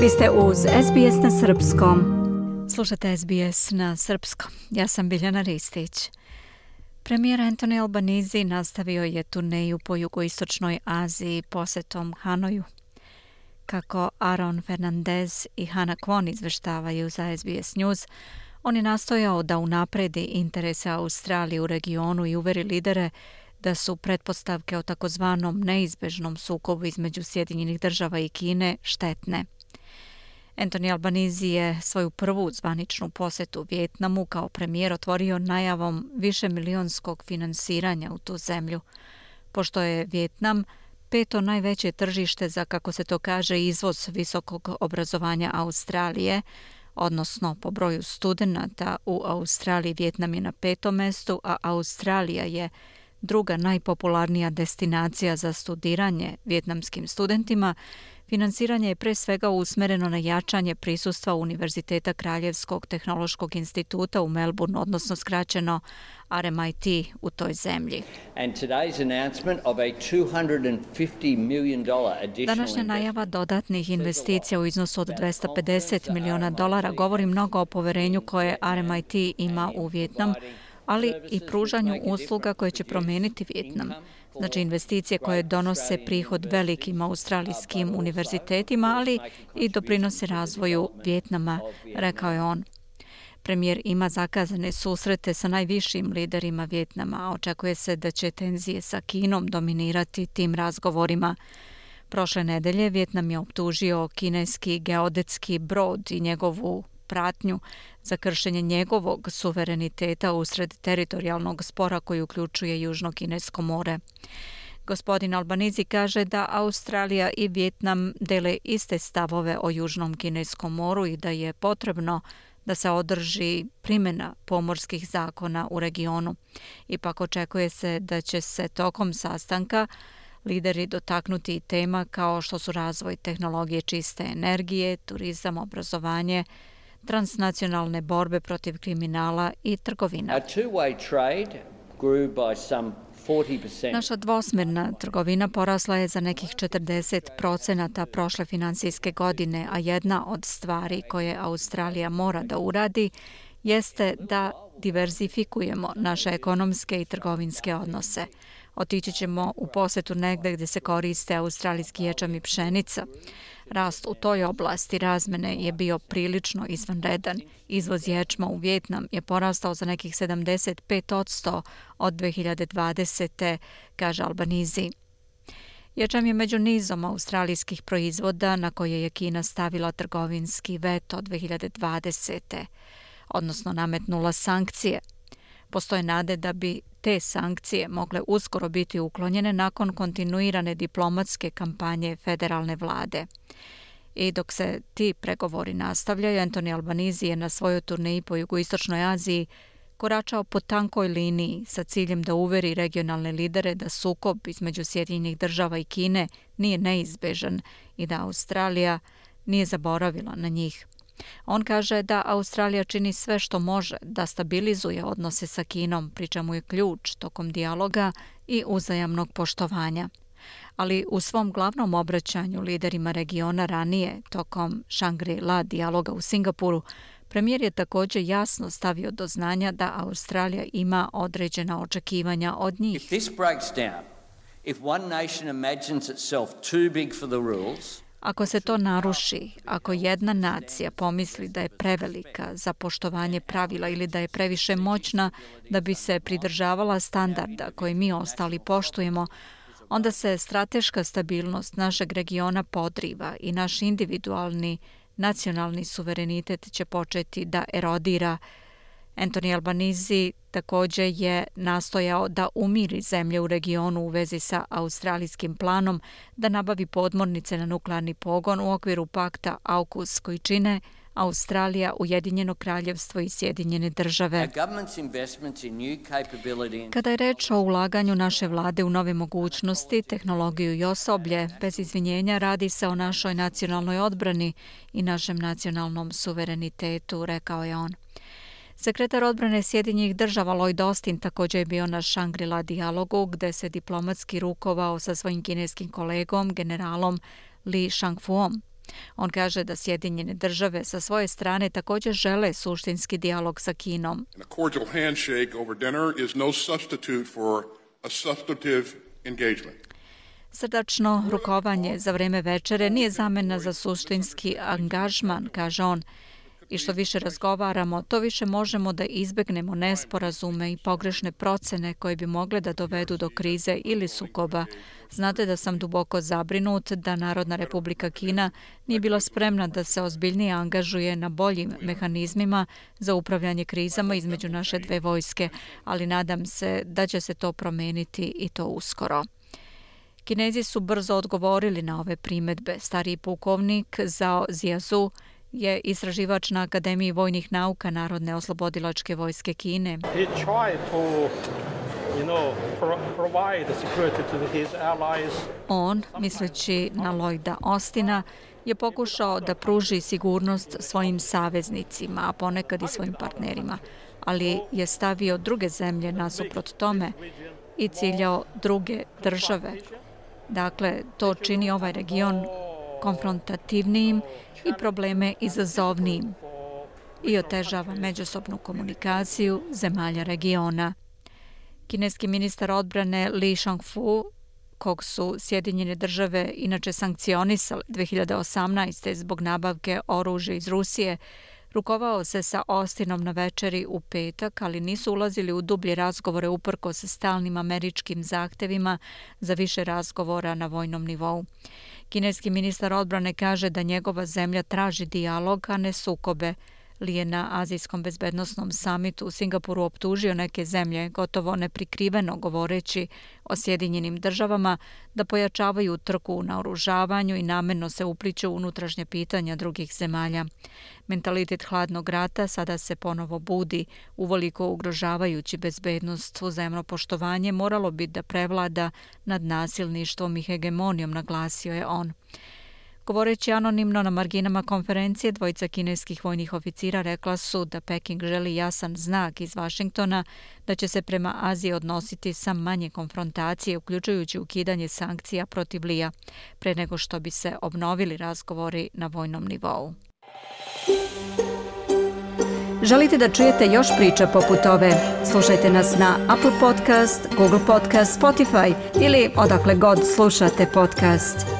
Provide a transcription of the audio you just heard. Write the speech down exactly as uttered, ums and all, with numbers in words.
Vi ste uz S B S na srpskom. Slušate S B S na srpskom. Ja sam Biljana Ristić. Premijer Anthony Albanese nastavio je turneju po jugoistočnoj Aziji posetom Hanoju. Kako Aaron Fernandez i Hannah Kwon izveštavaju za S B S News, on je nastojao da unapredi interese Australije u regionu i uveri lidere da su pretpostavke o takozvanom neizbežnom sukobu između Sjedinjenih država i Kine štetne. Anthony Albanese je svoju prvu zvaničnu posetu Vijetnamu kao premijer otvorio najavom višemilionskog finansiranja u tu zemlju, pošto je Vijetnam peto najveće tržište za, kako se to kaže, izvoz visokog obrazovanja Australije, odnosno po broju studenata u Australiji Vijetnam je na petom mestu, a Australija je druga najpopularnija destinacija za studiranje vijetnamskim studentima. Finansiranje je pre svega usmereno na jačanje prisustva Univerziteta Kraljevskog tehnološkog instituta u Melbourne, odnosno skraćeno R M I T u toj zemlji. Današnja najava dodatnih investicija u iznosu od dvesta pedeset miliona dolara govori mnogo o poverenju koje R M I T ima u Vijetnam, ali i pružanju usluga koje će promijeniti Vijetnam. Znači investicije koje donose prihod velikim australijskim univerzitetima, ali i doprinose razvoju Vijetnama, rekao je on. Premijer ima zakazane susrete sa najvišim liderima Vijetnama, a očekuje se da će tenzije sa Kinom dominirati tim razgovorima. Prošle nedelje Vijetnam je optužio kineski geodetski brod i njegovu pratnju za kršenje njegovog suvereniteta usred teritorijalnog spora koji uključuje Južno Kinesko more. Gospodin Albanese kaže da Australija i Vijetnam dele iste stavove o Južnom Kineskom moru i da je potrebno da se održi primjena pomorskih zakona u regionu. Ipak očekuje se da će se tokom sastanka lideri dotaknuti i tema kao što su razvoj tehnologije čiste energije, turizam, obrazovanje, transnacionalne borbe protiv kriminala i trgovina. Naša dvosmjerna trgovina porasla je za nekih četrdeset procenata prošle finansijske godine, a jedna od stvari koje Australija mora da uradi jeste da diverzifikujemo naše ekonomske i trgovinske odnose. Otići ćemo u posetu negde gdje se koriste australijski ječam i pšenica. Rast u toj oblasti razmene je bio prilično izvanredan. Izvoz ječma u Vijetnam je porastao za nekih sedamdeset pet posto od dve hiljade dvadesete. kaže Albanese. Ječam je među nizom australijskih proizvoda na koje je Kina stavila trgovinski veto dve hiljade dvadesete. odnosno nametnula sankcije. Postoje nade da bi te sankcije mogle uskoro biti uklonjene nakon kontinuirane diplomatske kampanje federalne vlade. I dok se ti pregovori nastavljaju, Anthony Albanese je na svojoj turneji po jugoistočnoj Aziji koračao po tankoj liniji sa ciljem da uveri regionalne lidere da sukob između Sjedinjenih država i Kine nije neizbežan i da Australija nije zaboravila na njih. On kaže da Australija čini sve što može da stabilizuje odnose sa Kinom, pri čemu je ključ tokom dijaloga i uzajamnog poštovanja. Ali u svom glavnom obraćanju liderima regiona ranije, tokom Shangri-La dijaloga u Singapuru, premijer je također jasno stavio do znanja da Australija ima određena očekivanja od njih. If this breaks down, if one nation imagines itself too big for the rules, Ako se to naruši, ako jedna nacija pomisli da je prevelika za poštovanje pravila ili da je previše moćna da bi se pridržavala standarda koje mi ostali poštujemo, onda se strateška stabilnost našeg regiona podriva i naš individualni nacionalni suverenitet će početi da erodira. Anthony Albanese također je nastojao da umiri zemlje u regionu u vezi sa australijskim planom da nabavi podmornice na nuklearni pogon u okviru pakta AUKUS koji čine Australija, Ujedinjeno kraljevstvo i Sjedinjene države. Kada je reč o ulaganju naše vlade u nove mogućnosti, tehnologiju i osoblje, bez izvinjenja radi se o našoj nacionalnoj odbrani i našem nacionalnom suverenitetu, rekao je on. Sekretar odbrane Sjedinjenih država Lloyd Austin također je bio na Shangri-La dijalogu gdje se diplomatski rukovao sa svojim kineskim kolegom, generalom Li Shangfuom. On kaže da Sjedinjene države sa svoje strane također žele suštinski dijalog sa Kinom. A cordial handshake over dinner is no substitute for a substantive engagement. Srdačno rukovanje za vreme večere nije zamena za suštinski angažman, kaže on. I što više razgovaramo, to više možemo da izbegnemo nesporazume i pogrešne procene koje bi mogle da dovedu do krize ili sukoba. Znate da sam duboko zabrinut da Narodna Republika Kina nije bila spremna da se ozbiljnije angažuje na boljim mehanizmima za upravljanje krizama između naše dve vojske, ali nadam se da će se to promeniti i to uskoro. Kinezi su brzo odgovorili na ove primedbe. Stariji pukovnik Zhao Ziazu je istraživač na Akademiji vojnih nauka Narodne oslobodilačke vojske Kine. On, misleći na Lloyda Austina, je pokušao da pruži sigurnost svojim saveznicima, a ponekad i svojim partnerima, ali je stavio druge zemlje nasuprot tome i ciljao druge države. Dakle, to čini ovaj region konfrontativnijim i probleme izazovnijim i otežava međusobnu komunikaciju zemalja regiona. Kineski ministar odbrane Li Shangfu, kog su Sjedinjene države inače sankcionisale dve hiljade osamnaeste. zbog nabavke oružja iz Rusije, rukovao se sa Austinom na večeri u petak, ali nisu ulazili u dublje razgovore uprkos stalnim američkim zahtevima za više razgovora na vojnom nivou. Kineski ministar odbrane kaže da njegova zemlja traži dijalog, a ne sukobe. Li je na Azijskom bezbednosnom samitu u Singapuru optužio neke zemlje, gotovo neprikriveno govoreći o Sjedinjenim državama, da pojačavaju trku u naoružavanju i namerno se upliću u unutrašnje pitanja drugih zemalja. Mentalitet hladnog rata sada se ponovo budi, uvoliko ugrožavajući bezbednost. Uzajamno poštovanje moralo bi da prevlada nad nasilništvom i hegemonijom, naglasio je on. Govoreći anonimno na marginama konferencije, dvojica kineskih vojnih oficira rekla su da Peking želi jasan znak iz Vašingtona da će se prema Aziji odnositi sa manje konfrontacije, uključujući ukidanje sankcija protiv Lija, pre nego što bi se obnovili razgovori na vojnom nivou. Želite da čujete još priča poput ove? Slušajte nas na Apple Podcast, Google Podcast, Spotify ili odakle god slušate podcast.